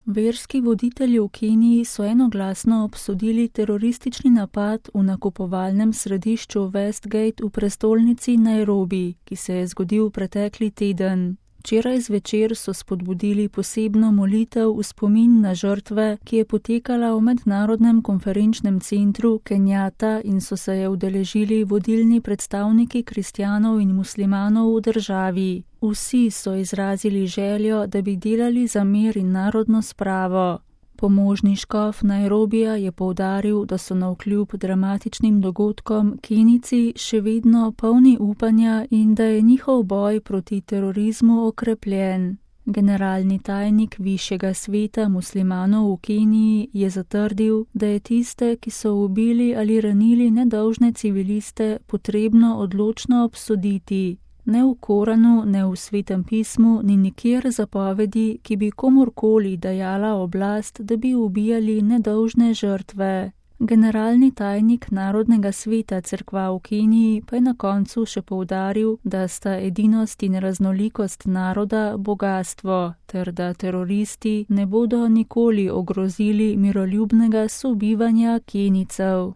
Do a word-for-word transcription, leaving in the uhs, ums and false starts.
Verski voditelji v Keniji so enoglasno obsodili teroristični napad v nakupovalnem središču Westgate v prestolnici Nairobi, ki se je zgodil pretekli teden. Včeraj zvečer so spodbudili posebno molitev v spomin na žrtve, ki je potekala v mednarodnem konferenčnem centru Kenjata in so se je udeležili vodilni predstavniki kristjanov in muslimanov v državi. Vsi so izrazili željo, da bi delali za mir in narodno spravo. Pomožni škof Nairobija je poudaril, da so navkljub dramatičnim dogodkom Kenijci še vedno polni upanja in da je njihov boj proti terorizmu okrepljen. Generalni tajnik Višjega sveta muslimanov v Keniji je zatrdil, da je tiste, ki so ubili ali ranili nedolžne civiliste, potrebno odločno obsoditi. Ne v Koranu, ne v Svetem pismu, ni nikjer zapovedi, ki bi komurkoli dajala oblast, da bi ubijali nedolžne žrtve. Generalni tajnik Narodnega sveta cerkva v Keniji pa je na koncu še poudaril, da sta edinost in raznolikost naroda bogastvo, ter da teroristi ne bodo nikoli ogrozili miroljubnega sobivanja Kenijcev.